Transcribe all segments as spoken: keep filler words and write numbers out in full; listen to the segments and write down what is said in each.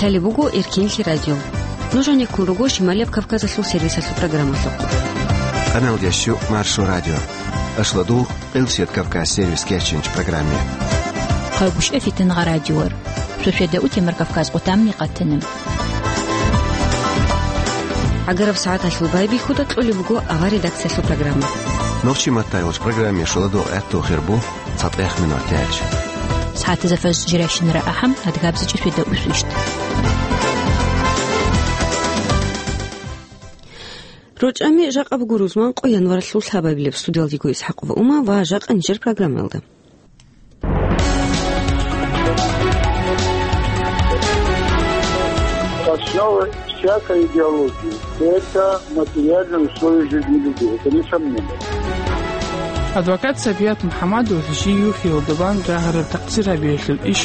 Лъалеб буго Эркенлъи радио. Нуж гьанеккун руго Шималияб Кавказалъул сервисалъул программалъухъ. Къаналдящу Маршо радио. Ашладул Къилсият Кавказ сервис кечинч программе. Хъагушев Фитнагъа радиор. Сосведа утемар Кавказ къутамни къатана. ГӀагараб сагӀаталъул байбихьуда кьолеб буго авар редакциялъул программа. Нохчи маттайолч программе шуладул гӀатту хирбу цатӀех минор тяч. СагӀатаза фаз жиращинара ахӀам, адгабзичӀ сосведа усвищт. РочӀами жакъа буго рузман къо январалъул лъабабилеб. Студиялдиго Исхакъова Ума ва жакъа нижер программаялда. Основа всякой идеологии — это материальные условия жизни людей. Это несомненно. Адвокат Сапият МухӀаммадов жий юхьиялда бан рагьараб такъсир гьабиялъул иш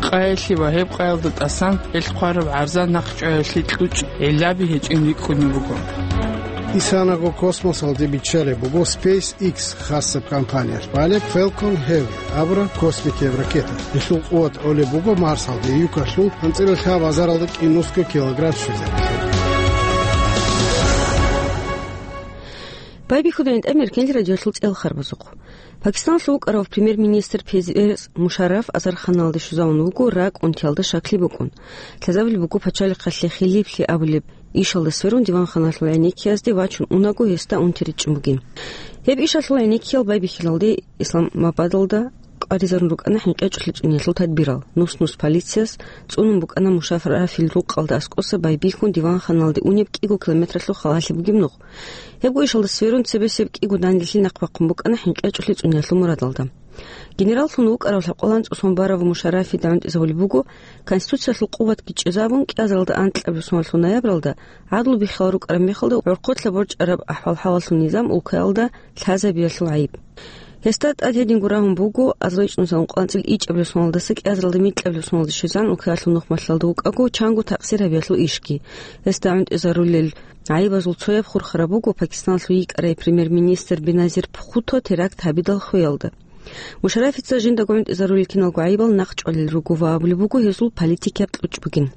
къаялъе ва гьеб къаялда тӀасан гьел хъвараб гӀарза нахъчӀваялъе кьучӀ гӀиллаби гьечӀин рикӀкӀунеб буго. Исанаго космосалде биччалеб буго SpaceX хасаб компаниялъ балеб Falcon Heavy абураб космикияб ракета. Гьелъул къуват гӀолеб буго Марсалде юкалъул анцӀила лъабазаралда кӀинусго килограмм щвезабизе. Байбихьуда гӀинтӀам Эркенлъи радиолъул цӀел харбазухъ. Пакистаналъул вукӀарав премьер-министр Первез Мушарраф азарханалде щвезавун вуго ракӀ унтиялда щаклъи букӀун. Лъазабулеб буго пачалихъалъе хилиплъи абулеб ишалда сверун диванханалъул гӀенеккиязде вачун унаго гьесда унти ричӀчӀун бугин. Гьеб ишалъул гӀенеккиял байбихьилалде Исламабадалда къваризарун рукӀана хӀинкъичӀолъи цӀуниялъул тадбирал. Нус-нус полицияс цӀунун букӀана Мушаррафил рукъалда аскӀоса байбихьун диванханалде унеб кӀиго километралъул халалъи бугеб нух. Гьебго ишалда сверун цебесеб кӀиго данделъи нахъ бахъун букӀана хӀинкъичӀолъи цӀуниялъул мурадалда. Генераллъун вукӀарав лъабкъоялда анцӀго сон барав Мушаррафида гӀунтӀизабулеб буго, Конституциялъул къуват бичӀчӀизабун, кӀиазаралда анкьабилеб соналъул ноябралда гӀадлу биххинал рукӀараб мехалда гӀорхъолъа борчӀараб ахӀвал-хӀалалъул низам улкаялда лъазабиялъул гӀайиб. Гьесда тӀад гьединго рагьун буго азарилбетазул ункъоялда анцӀила ичӀабилеб соналдаса кӀиазаралда микьабилеб соналде щвезегӀан улкаялъул нух малъаралда вукӀаго чанго такъсир гьабиялъул ишги. Гьесда гӀунтӀизарулел гӀайибазул цояб хурхараб буго Пакистаналъул йикӀарай премьер-министр Беназир Бхутто теракт гьабидал хвеялда. Мушаррафица жиндаго гӀунтӀизарулел киналго гӀайибал нахъчӀвалел руго ва абулеб буго гьезул политикияб кьучӀ бугин.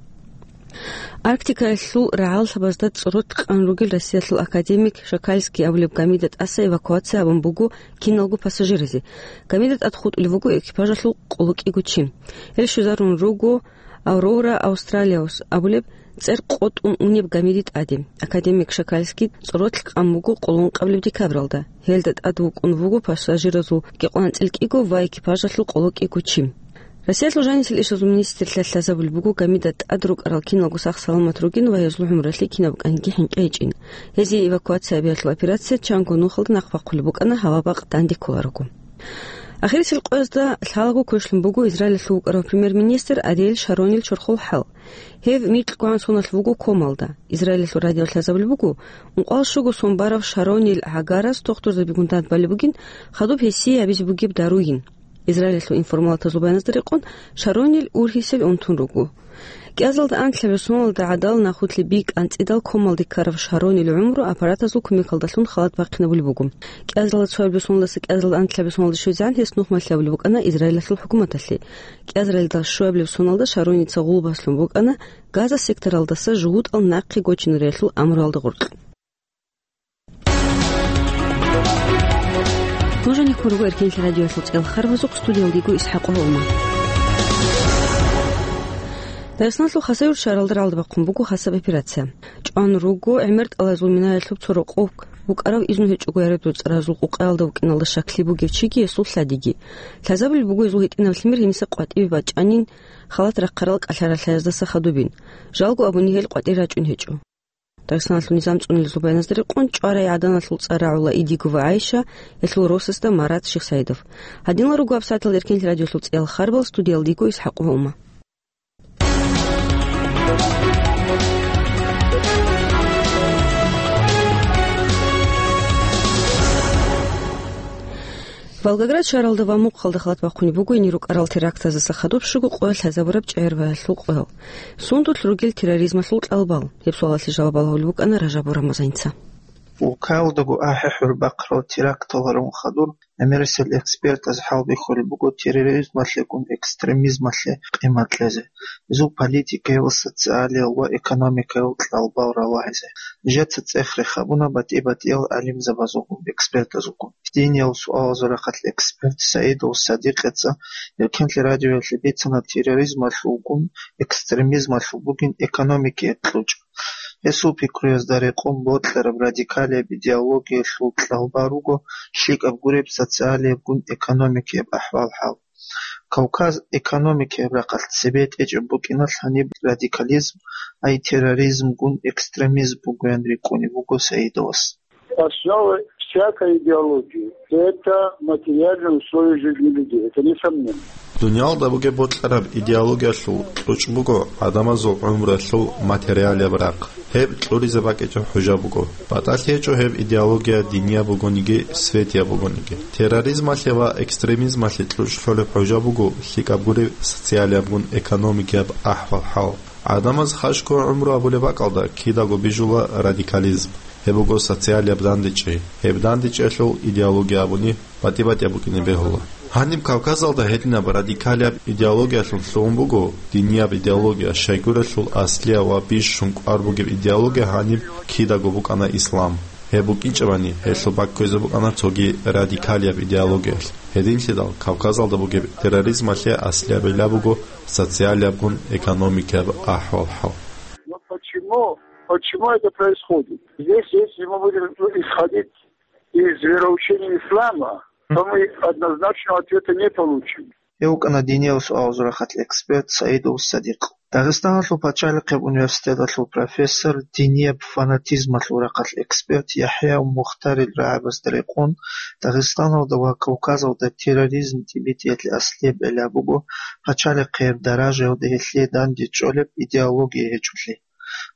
Арктикаялъул рагӀаллъабазда цӀоролъ къан ругел Россиялъул академик Шакальский абулеб гамида тӀаса эвакуация гьабун буго киналго пассажиразе. Гамида тӀад хутӀулев вуго экипажалъул къоло кӀиго чи. Гьел щвезарун руго Аврора Австралиус абулеб цӀер къотӀун унеб гамиди тӀаде. Академик Шакальский цӀоролъ къан буго къоло ункъабилеб декабралда. Гьелда тӀад вукӀун вуго пассажиразул кӀикъоялда анцӀила кӀиго ва экипажалъул къоло кӀиго чи. Россиялъул жанисел ишазул министрлъа лъазабулеб буго гамида тӀад рукӀарал киналго сах-саламат ругин ва гьезул гӀумруялъе кинаб букӀаниги хӀинкъи гьечӀин. Гьезие эвакуация гьабиялъул операция чанго нухалда нахъ бахъулеб букӀана, гьава-бакъ данде кколаруго. Ахирисел къоязда лъалаго квешлъун буго Израилалъул вукӀарав премьер-министр Ариел Шаронил чорхол хӀал. Гьев микьгогӀан соналъ вуго комалда. Израилалъул радиоялъ лъазабулеб буго, ункъоялда щуго сон барав Шаронил гӀагарас дохтурзабигун дандбалеб бугин, хадуб гьесие гьабизе бугеб даруйин. Израилалъул информалатазул баяназда рекъон, Шаронил ургьисел унтун руго. КӀиазалда анлъабилеб соналда гӀадал нахулъе бикӀ анцӀидал комалде ккарав Шаронил гӀумру аппаратазул кумекалдалъун халат бахъинабулеб буго. КӀиазалда цоябилеб соналдаса кӀиазалда анлъабилеб соналде щвезегӀан гьес нух малъабулеб букӀана Израилалъул хӀукуматалъе. КӀиазаралда щуабилеб соналда Шароница гъулбаслъун букӀана Газа секторалдаса жугьутӀал нахъе гочинариялъул амруялда гъоркь. Нуж гьанеккун руго Эркенлъи радиоялъул цӀел харбазухъ, студиялда йиго ИсхӀакъ Гьолман. Дагъистаналъул Хасавюрт шагьаралда рагӀалда бахъун буго хасаб операция. ЧӀван руго гӀемер тӀалазул минаялъуб цо рокъов вукӀарав, изну гьечӀого гӀараб цӀаразул къукъаялда вукӀиналда щаклъи бугев чиги гьесул лъадиги. Лъазабулеб буго гьезул гьитӀинаб лъимер гьениса къватӀибе бачӀанин, халат рахъарал кӀалъаралъаяздаса хадубин. Жалго абуни гьел къватӀир рачӀун гьечӀо. Дагъистаналъул низам цӀунулезул баяназда рекъон, чӀварай гӀаданалъул цӀар рагӀула Идигова ГӀайша, гьелъул росасда Марат Шихсаидов. Гьадинал руго гьабсагӀаталда Эркенлъи радиоялъул цӀел харбал, студиялда йиго ИсхӀакъ Гьолман. Волгоград шагьаралда ва Мухъалда халат бахъунеб буго гьенир рукӀарал терактаздаса хадуб щуго къоялъ лъазабураб чӀегӀер баялъул къоял. Сундулъ ругел терроризмалъул кьалбал? Гьеб суалалъе жаваб балагьулеб букӀана Ражаб Бурамазаница. Улкаялдаго ахӀи-хӀур бахъарал терактал гьарун хадур ГӀемерисел экспертаз хӀалбихьулеб буго терроризмалъегун экстремизмалъе къимат кьезе, гьезул политикаялъ, социалиял ва экономикаял кьалбал ралагьизе. Нижеца цӀех рехабуна батӀи-батӀиял гӀалимзабазулгун, экспертазулгун. Диниял суалазул рахъалъ эксперт Саидов Садикъица Эркенлъи радиоялъе бицана, терроризмалъулгун экстремизмалъул бугин экономикияб кьучӀ. Гьесул пикруязда рекъон бокьараб радикалияб идеологиялъул кьалбал руго лъикӀаб гуреб социалиябгун экономикияб ахӀвал-хӀал. Кавказ экономикияб рахъалъ цебетӀечӀеб букӀиналъ гьаниб радикализм, ай терроризмгун экстремизм бугоян рикӀкӀунеб буго Саидовас. Основа всякой идеологии — это материальные условия жизни людей. Это несомненно. Дуниялда бугеб бокьараб идеологиялъул кьучӀ буго гӀадамазул гӀумруялъул материалияб рахъ. Гьеб кьуризе бакӀичӀеб хӀужа буго. БатӀалъи гьечӀо гьеб идеология динияб бугониги, светияб бугониги. Терроризмалъе ва экстремизмалъе кьучӀ лъолеб хӀужа буго лъикӀаб гуреб социалиябгун экономикияб ахӀвал-хӀал. ГӀадамаз хашго гӀумру абулеб бакӀалда кидаго бижула радикализм. Гьеб буго социалияб дандечӀи. Гьеб дандечӀиялъул идеология абуни батӀи-батӀияб букӀине бегьула. Гьаниб Кавказалда гьединаб радикалияб идеологиялъун лъугьун буго динияб идеология, щайгурелъул аслияб ва бищун кӀвар бугеб идеология гьаниб кидаго букӀана ислам. Гьеб букӀинчӀебани, гьелъул бакквезе букӀана цоги радикалияб идеологиялъ. Гьединлъидал Кавказалда бугеб терроризмалъе аслияб гӀилла буго социалиябгун экономикияб ахӀвал-хӀал. Но почему, почему это происходит? Здесь, если мы будем исходить из вероучения ислама, то мы однозначного ответа не получим. Гьев вукӀана диниял суалазул рахъалъ эксперт Саидов Садикъ. Дагъистаналъул пачалихъияб университеталъул профессор, динияб фанатизмалъул рахъалъ эксперт ЯхӀя Мухтарил рагӀабазда рекъон, Дагъистаналда ва Кавказалда терроризм тӀибитӀиялъе аслияб гӀилла буго пачалихъияб даражаялда гьелъие данде чӀолеб идеология гьечӀолъи.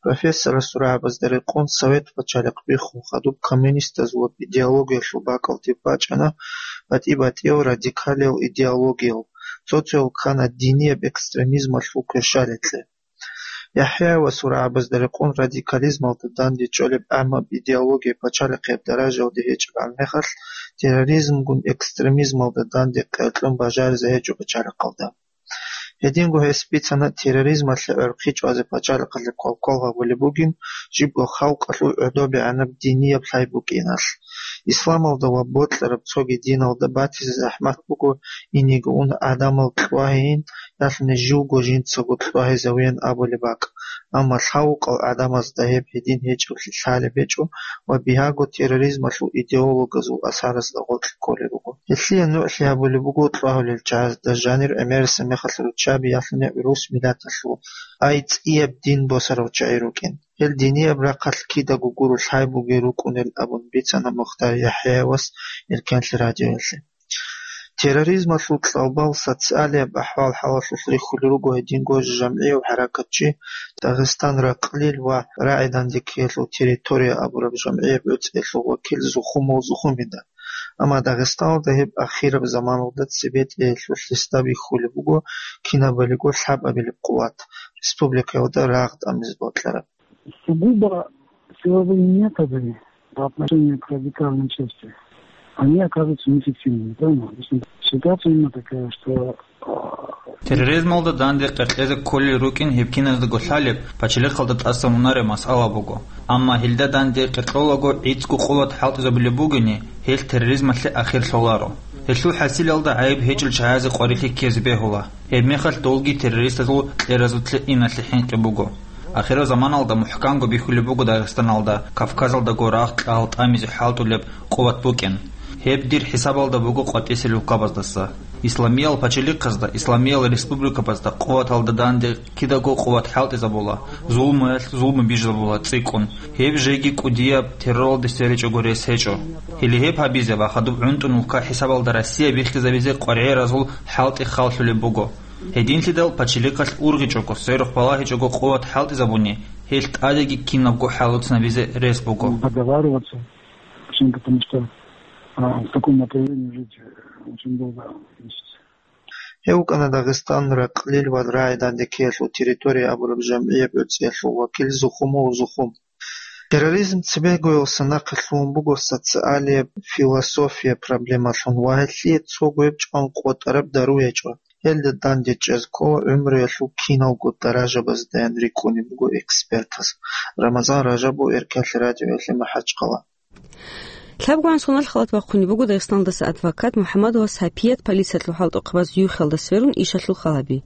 Профессорасул рагӀабазда рекъон, Совет пачалихъ биххун хадуб коммунистазул идеологиялъул бакӀалде бачӀана батӀи-батӀиял радикалиял идеологиял, цо-цоял ккана динияб экстремизмалъул кверщаликье. ЯхӀяевасул рагӀабазда рекъон, радикализмалда данде чӀолеб гӀаммаб идеология пачалихъияб даражаялде гьечӀеб гӀан мехалъ, терроризмгун экстремизмалда данде къеркьун бажаризе гьечӀо пачалихъалда. Гьединго гьес бицана, терроризмалъе гӀорхъи чӀвазе пачалихъалъе квалквал гьабулеб бугин, жибго халкъалъул гӀодобегӀанаб динияб лъай букӀиналъ. Исламалда ва бокьараб цоги диналда батизе захӀмат буго, инеги ун гӀадамал кьвагьейин, ялъуни живго жинцаго кьвагьизавеян абулеб бакӀ. Амма лъавукъал гӀадамазда гьеб гьедин гьечӀеблъи лъалеб гьечӀо ва бигьаго терроризмалъул идеологазул асарасда гъоркь кколел руго. Гьелъие нугӀлъи гьабулеб буго кьвагьулел чагӀазда жанир гӀемерисеб мехалъ руччаби, ялъуни гӀурус миллаталъул, ай цӀияб дин босарав чагӀи рукӀин. Гьел динияб рахъалъ кидаго гуро лъай бугел рукӀунел абун бицана Мухтар ЯхӀяевас Эркенлъи радиоялъе. Терроризмалъул кьалбал социалияб ахӀвал-хӀалалъулъ рихьулел руго гьединго жамгӀияв хӀаракатчи, Дагъистан ракълил ва рагӀи дандекиялъул территория абураб жамгӀияб гӀуцӀиялъул вакил Зухумов Зухумида. Амма Дагъистаналда гьеб ахираб заманалда цебетӀеялъул лъиста бихьулеб буго кинабалиго лъабабилеб къуват, республикаялда рагъ тӀамизе бокьараб. Сугубо силовые методы по отношению к радикальной части, они оказываются неэффективными, правильно? То есть ситуация именно такая, что, а, Терроризмалда данде къеркьезе кколел рукӀин гьеб киназдаго лъалеб, пачалихъалда тӀасан унареб масъала буго. Амма гьелда данде къеркьолаго гӀицӀго къуват хӀалтӀизабулеб бугони, гьелъ терроризмалъе ахир лъоларо. Гьелъул хӀасилалда гӀайиб гьечӀел чагӀазе къварилъи ккезе бегьула. Гьебмехалъ долги террористазул кьеразулъе иналъе хӀинкъи буго. Ахираб заманалда мухӀканго бихьулеб буго Дагъистаналда, Кавказалдаго рагъ кьал тӀамизе хӀалтӀулеб къуват букӀин. Гьеб дир хӀисабалда буго къватӀисел улкабаздаса. Исламиял пачалихъазда, исламиял республикабазда къуваталда данде кидаго къуват хӀалтӀизабула, зулмуялъ зулму бижизабула цӀикӀкӀун. Гьеб жеги кӀудияб терроралде сверичӀого рес гьечӀо. Гьеле гьеб гьабизе ва хадуб гӀунтӀун улка хӀисабалда Россия биххизабизе къваригӀеразул хӀалтӀи халлъулеб буго. Гьединлъидал пачалихъалъ ургъичӀого, сверухъ балагьичӀого къуват хӀалтӀизабуни, гьелъ тӀадеги кинабго хӀалуцинабизе рес буго. Договариваться, почему? Потому что, а, в таком направлении жить очень долго, значит. Гьев вукӀана Дагъистан ракълил ва рагӀи дандекиялъул территория абураб жамгӀияб гӀуцӀиялъул вакил Зухумов Зухум. Терроризм цебегоялдаса нахъе лъугьун буго социалияб, философияб проблемалъун ва гьелъие цого гьеб чӀван къотӀараб дару гьечӀо. Гьелда дандечӀез ккола гӀумруялъул киналго даражабаздаян рикӀкӀунеб буго экспертаз. Рамазан Ражабов, Эркенлъи радиоялъе, МахӀачхъала. ЛъабгӀан соналъ халат бахъунеб буго Дагъистаналдаса адвокат МухӀаммадова Сапият полициялъул хӀалтӀухъабаз юхиялда сверун ишалъул хал гьаби.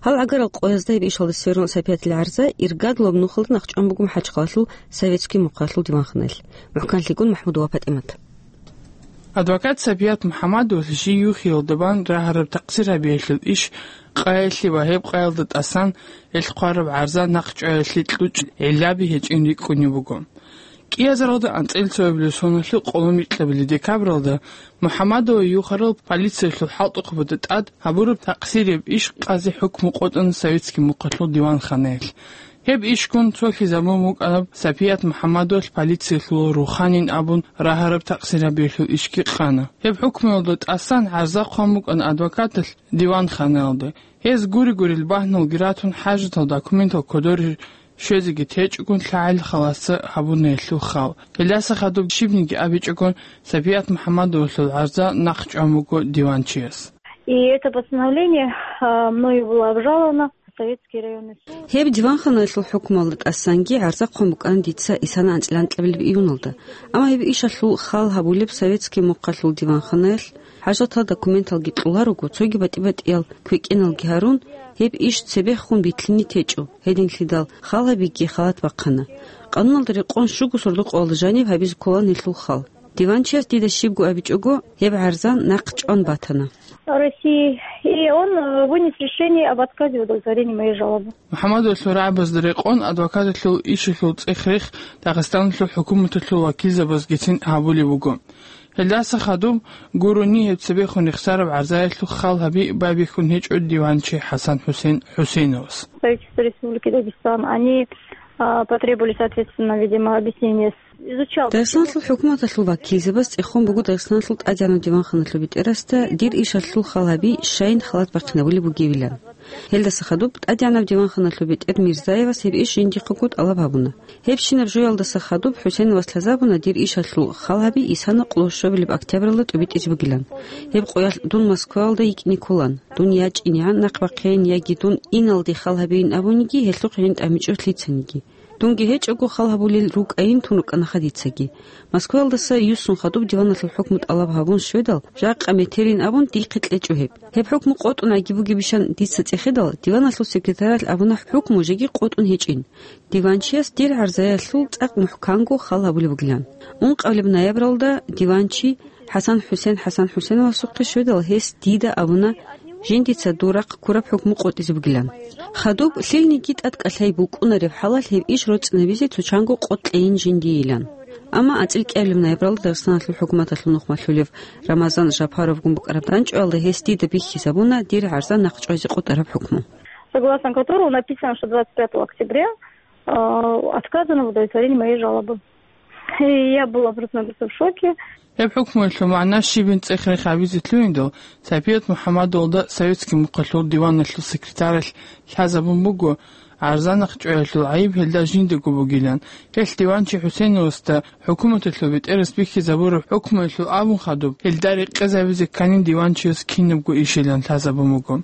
Гьал гӀагарал къоязда гьеб ишалда сверун Сапиятил гӀарза иргадулаб нухалда нахъчӀван буго МахӀачхъалалъул Советский мухъалъул диванханаялъ. МухӀканлъигун МахӀмудова ПатӀимат. Адвокат Сапият МухӀаммадовалъ жий юхиялда бан рагьараб такъсир гьабиялъул иш къаялъе ва гьеб къаялда тӀасан гьелъ хъвараб гӀарза нахъчӀваялъе кьучӀ гӀиллаби гьечӀин рикӀкӀунеб буго. КӀиазаралда анцӀила цоабилеб соналъул къоло микьабилеб декабралда МухӀаммадова юхарал полициялъул хӀалтӀухъабазда тӀад гьабураб такъсирияб иш къазе хӀукму къотӀана Советский мухъалъул диванханаялъ. Гьеб ишгун цолъизабун букӀана Сапият МухӀаммадовалъ полициялъул руханин абун рагьараб такъсир гьабиялъул ишги къана. Гьеб хӀукмуялда тӀасан гӀарза хъван букӀана адвокаталъ диванханаялда. Гьез гури-гурел багьналги ратун, хӀажатал документал кодоре щвезеги течӀогун, лъагӀел халасе гьабуна гьелъул хал. Гьелдаса хадуб щибниги абичӀогун, Сапият МухӀаммадовалъул гӀарза нахъчӀван буго диванчияс. И это постановление, а, мною было обжаловано в Советский районный суд. Гьеб диванханаялъул хӀукмуялда тӀасанги гӀарза хъван букӀана дица исана анцӀила анкьабилеб июналда. Амма гьеб ишалъул хал гьабулеб Советский мухъалъул диванханаялъ, хӀажатал документалги кьоларого, цоги батӀи-батӀиял квекӀеналги гьарун, гьеб иш цебехун битлъине течӀо, гьединлъидал хал гьабиги халат бахъана. Къануналда рекъон щуго сордо-къоялда жаниб гьабизе кколаан гьелъул хал. Диванчияс дида щибго абичӀого, гьеб гӀарза нахъчӀван батана. России, и он, э, вынес решение об отказе в удовлетворении моей жалобы. МухӀаммадовалъул рагӀабазда рекъон адвокаталъул ишалъул цӀех-рех Дагъистаналъул хӀукуматалъул вакилзабазгицин гьабулеб буго. Гьелдаса хадуб гурони гьеб цебехун рехсараб гӀарзаялъул хал гьаби байбихьун гьечӀо диванчи ХӀасан ХӀусен ХӀусеновас. Правительство Республики Дагестан, они, а, потребовали, соответственно, видимо, объяснения с-, изучал. Дагъистаналъул хӀукуматалъул вакилзабаз цӀехун буго Дагъистаналъул ТӀадегӀанаб диванханалъул бетӀерасда дир ишалъул хал гьаби щайин халат бахъинабулеб бугебилан. Гьелдаса хадуб ТӀадегӀанаб диванханалъул бетӀер Мирзаевас гьеб иш жиндихъего тӀалаб гьабуна. Гьебщинаб жоялдаса хадуб ХӀусеновас лъазабуна дир ишалъул хал гьаби исана къоло щуабилеб октябралда тӀубитӀизе бугилан. Гьеб къоялъ дун Москваялда йикӀине кколаан. Дун я чӀинегӀан нахъ бахъейин, яги дун иналде хал гьабейин абуниги, гьелъухъ гьениб тӀамичӀо лъицаниги. Дунги гьечӀого хал гьабулел рукӀайин тун рукӀанаха дицаги. Москваялдаса юссун хадуб диваналъул хӀукму тӀалаб гьабун щведал, жакъа метерин абун дихъе кьечӀо гьеб. Гьеб хӀукму къотӀун аги бугебищан дица цӀехедал, диваналъул секретаралъ абуна хӀукму жеги къотӀун гьечӀин. Диванчияс дир гӀарзаялъул цӀакъ мухӀканго хал гьабулеб бугилан. Ункъабилеб ноябралда диванчи ХӀасан ХӀусен ХӀасан ХӀусеновасухъе щведал, гьес дида абуна, жиндица дур рахъ ккураб хӀукму къотӀизе бугилан. Хадуб лъилниги тӀадкӀалъай букӀунареб хӀалалъ гьеб иш роцӀцӀинабизе цо чанго къотӀ кьейин жиндийилан. Амма анцӀила кӀиабилеб ноябралда Дагъистаналъул хӀукуматалъул нухмалъулев Рамазан Жапаровгун букӀараб данчӀоялда гьес дида бихьизабуна дир гӀарза нахъ чӀвазе къотӀараб хӀукму. Согласно которого написано, что двадцать пятого октября, а, отказано в удовлетворении моей жалобы. И я была просто-напросто в шоке. Гьеб хӀукмуялъул магӀна щибин цӀех-рех гьабизе лъугьиндал, Сапият МухӀаммадовалда Советский мухъалъул диваналъул секретаралъ лъазабун буго, гӀарза нахъ чӀваялъул гӀайиб гьелда жиндаго бугилан. Гьелъ диванчи ХӀусеновасда хӀукуматалъул бетӀерас бихьизабураб хӀукмуялъул абун хадуб, гьелда рекъезабизе кканин диванчияс кинабго ишилан лъазабун буго.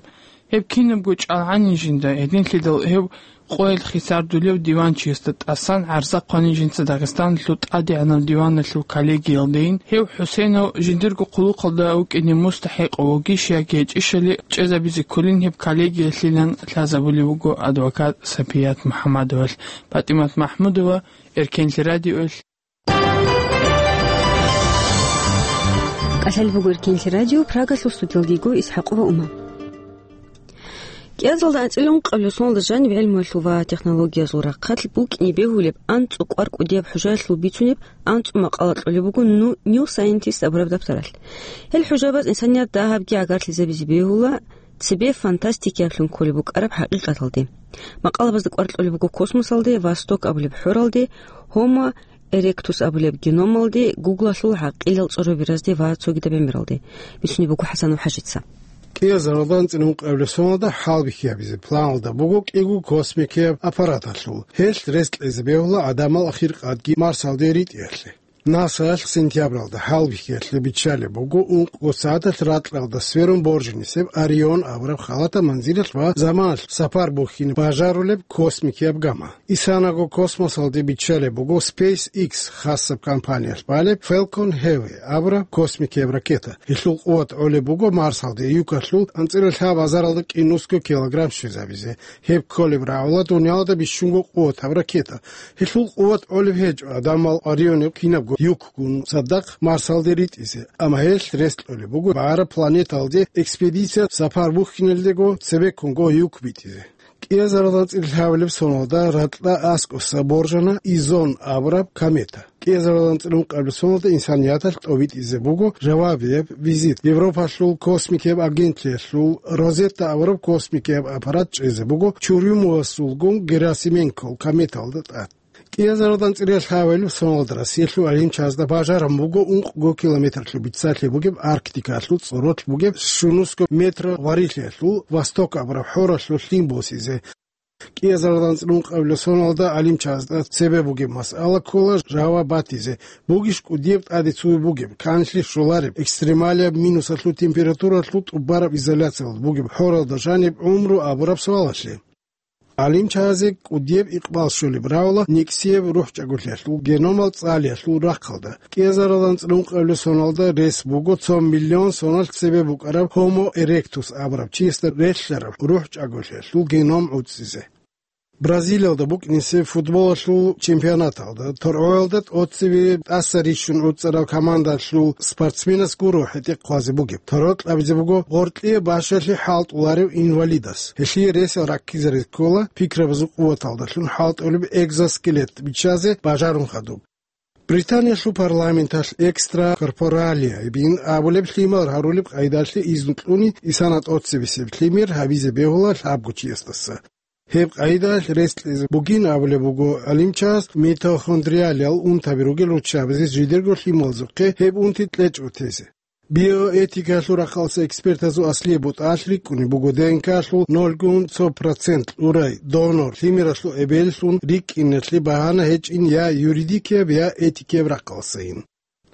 Гьеб кинабго чӀалгӀанин жинда, гьединлъидал гьеб къоялъ хисардулев диванчиясда тӀасан гӀарза хъванин жинца Дагъистаналъул ТӀадегӀанаб диваналъул коллегиялдейин, гьев ХӀусенов жиндирго хъулухъалда вукӀине мустахӀикъав вугищ яги гьечӀищали чӀезабизе кколин гьеб коллегиялъилан лъазабулеб буго адвокат Сапият МухӀаммадовалъ. ПатӀимат МахӀмудова, Эркенлъи радиоялъ. КӀалъалеб буго Эркенлъи радио, Прагалъул студиялдего ИсхӀакъова Ума. КӀиазалда анцӀила ункъабилеб соналда жаниб гӀелмуялъул ва технологиязул рахъалъ букӀине бегьулеб анцӀу кӀвар кӀудияб хӀужаялъул бицунеб анцӀу макъала кьолеб буго ну-, New Scientist абураб даптаралъ. Гьел хӀужабаз инсаният дагьабги гӀагарлъизабизе бегьула, цебе фантастикаялъун кколеб букӀараб хӀакъикъаталде. Макъалабазда кӀвар кьолеб буго космосалде, Восток абулеб хӀоралде, Homo Эректус абулеб геномалде, Гуглалъул гӀакъилал цӀорабиразде ва цогидаб гӀемералде. Бицунеб буго ХӀасанов ХӀажица. Кьезаралда анцӀила ункъабилеб соналда хӀалбихьи гьабизе планалда буго кӀиго космикияб аппараталъул. Гьелъ рес кьезе бегьула гӀадамал ахиркъадги Марсалде ритӀиялъе. НАСАялъ сентябралда хӀалбихьиялъе биччалеб буго ункъго сагӀаталъ ракьалда сверун боржинисеб Орион абураб халатаб манзилалъ ва заманалъ сапар бухьине бажарулеб космикияб гама. Исанаго космосалде биччалеб буго SpaceX хасаб компаниялъ балеб Falcon Heavy абураб космикияб ракета. Гьелъул къуват гӀолеб буго Марсалде юкалъул анцӀила лъабазаралда кӀинусго килограмм щвезабизе. Гьеб кколеб рагӀула дуниялда бищунго къуватаб ракета. Гьелъул къуват гӀолеб гьечӀо, гӀадамал Орионе кинабго юкгун цадахъ Марсалде ритӀизе, амма гьелъ рес кьолеб буго багӀараб планеталде экспедиция сапар бухьиналдего цебеккунго юк битӀизе. Кьезаралда анцӀила лъабабилеб соналда ракьа аскӀоса боржана Изон абураб комета. Кьезаралда анцӀила ункъабилеб соналда инсанияталъ тӀобитӀизе буго жавабияб визит Европалъул космикияб агентлъиялъул Розетта абураб космикияб аппарат чӀезе буго Чурюмовасулгун Герасименкол кометалда тӀад. Кьезаралда анцӀила лъабабилеб соналда Россиялъул гӀалимчазда бажараб буго ункъго километрлъун биццалъи бугеб Арктикалъул цӀоролъ бугеб щунусго метр варилъиялъул Восток абураб хӀоралъулъ лъим босизе. Кьезаралда анцӀила ункъабилеб соналда гӀалимчазда цебе бугеб масъала ккола жаваб батизе, бугищ кӀудияб тӀаде цуби бугеб, канлъи щолареб, экстремалияб минусалъул температуралъул тӀубараб изоляциялда бугеб хӀоралда жаниб гӀумру абураб суалалъе. ГӀалимчазе кӀудияб икъбал щолеб рагӀула никсияб рухӀчӀаголъиялъул геномал цӀалиялъул рахъалда. Кьезаралда анцӀила ункъабилеб соналда рес буго цо миллион соналъ цебе букӀараб Homo erectus абураб чиясда релълъараб рухӀчӀаголъиялъул геном гӀуцӀизе. Бразилиялда букӀинесеб футболалъул чемпионаталда торгӀоялда тӀоцебе тӀаса рищун гӀуцӀараб командалъул спортсменас гуро хӀетӀе хъвазе бугеб. Торгъ кьабизе буго гъоркье бащалъи хӀалтӀуларев инвалидас. Гьелъие ресал раккизаре ккола пикрабазул къуваталдалъун хӀалтӀулеб экзоскелет биччазе бажарун хадуб. Британиялъул парламенталъ экстракорпоралия бин абулеб лъимал гьарулеб къайдалъе изну кьуни исана тӀоцебесеб лъимер гьабизе бегьула лъабго чиясдаса. Гьеб къайдалъ рес кьезе бугин абулеб буго гӀалимчагьас митохондриалиял унтаби ругел руччабазе жидерго лъималазухъе гьеб унти кьечӀо тезе. Биоэтикаялъул рахъалъа экспертазул аслияб бутӀалъ рикӀкӀунеб буго ДНК-лъул нолгун цо процент урай донор лъимералъул эбеллъун рикӀкӀиналъе багьана гьечӀин я юридикияб, я этикияб рахъалъайин.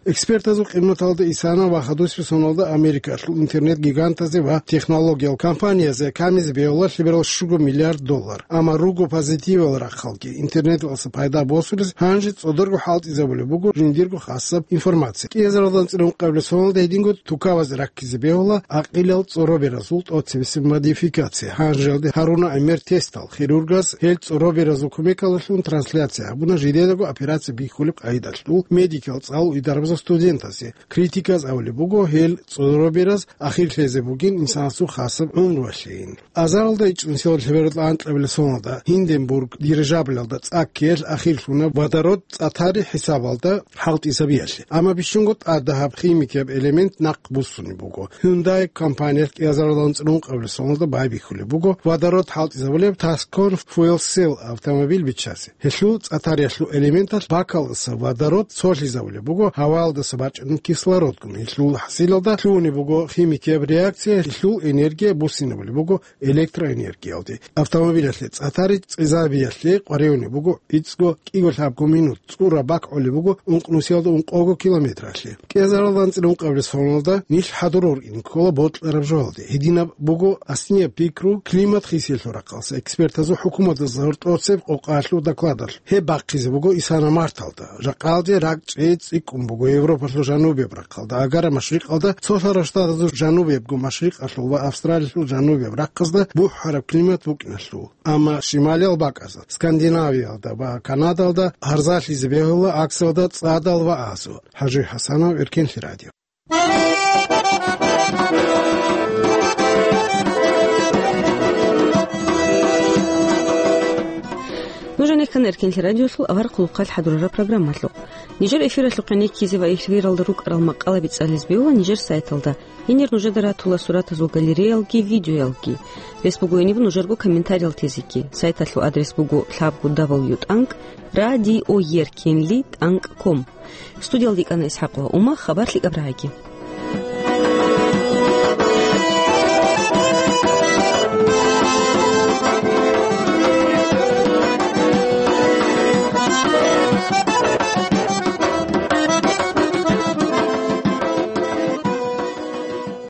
Экспертазул къиматалда исана ва хадусеб соналда Америкалъул интернет-гигантазе ва технологиял компаниязе камизе бегьула лъеберал щуго миллиард доллар. Амма руго позитивал рахъалги интернеталъа пайда босулез гьанже цӀодорго хӀалтӀизабулеб буго жиндирго хасаб информация. Кьезаралда анцӀила ункъабилеб соналда гьединго тукавазе раккизе бегьула гӀакъилал цӀороберазул тӀоцебесеб модификация. Гьанжеялде гьаруна гӀемер тестал, хирургас гьел цӀороберазул кумекалдалъун трансляция гьабуна жидедаго операция бихьулеб къайдалъул медикал цӀалул идарабазул студентазе. Критиказ абулеб буго, гьел цӀоробераз ахирлъизе бугин инсанасул хасаб гӀумруялъейин. Азаралда ичӀнусиял лъеберал анкьабилеб соналда Гинденбург дирижаблалда цӀа ккеялъ ахирлъуна водород цӀа тари хӀисабалда хӀалтӀизабиялъе. Амма бищунго тӀадаб гьаб химикияб элемент нахъ буссунеб буго. Hyundai компаниялъ кӀиазаралда анцӀила ункъабилеб соналда байбихьулеб буго водород хӀалтӀизабулеб Tascam Fuel Cell автомобиль биччазе. Гьелъул цӀа тариялъул элементалъ бакалдаса водород цолъизабулеб буго гьаваялдаса бачӀунеб кислородгун. Гьелъул хӀасилалда лъугьунеб буго химикияб реакция, гьелъул энергия буссинабулеб буго электроэнергиялде. Автомобилалъе цӀа тари цӀезабиялъе къваригӀунеб буго гӀицӀго кӀиго лъабго минут, цӀура бакӀ гӀолеб буго ункънусиялда ункъого километралъе. КӀиазаралда анцӀила ункъабилеб соналда нилъ хӀадур вукӀине ккола бокьараб жоялде. Гьединаб буго аснияб пикру климат хисиялъул рахъалъа экспертазул хӀукуматазда гьоркьосеб къокъаялъул докладалъ. Гьеб бахъизе буго исана марталда. Жакъалде ракӀчӀей цӀикӀкӀун буго Европалъул жанубияб рахъалда, агара машрикъалда, цолъарал штатазул жанубиябго машрикъалъул ва Австралиялъул жанубияб рахъазда бухӀараб климат букӀиналъул. Амма шималиял бакӀазда, Скандинавиялда ва Канадалда гьарзалъизе бегьула гӀаксалда цӀадал ва азу. ХӀажи ХӀасанов, Эркенлъи радио. Нуж гьанир ккана Эркенлъи радиолъул авар хъулухъалъ хӀадурараб программалъухъ. Нижер эфиралъухъе неккизе ва эфиралда рукӀарал макъалаби цӀализе бегьула нижер сайталда. Гьенир нужеда ратула суратазул галереялги, видеоялги. Рес буго гьениб нужерго комментариял тезеги. Сайталъул адрес буго лъабго дабл ю тӀанкӀ радиоеркенли тӀанкӀ ком. Студиялда йикӀана ИсхӀакъова Ума, хабар лъикӀаб рагӀиги.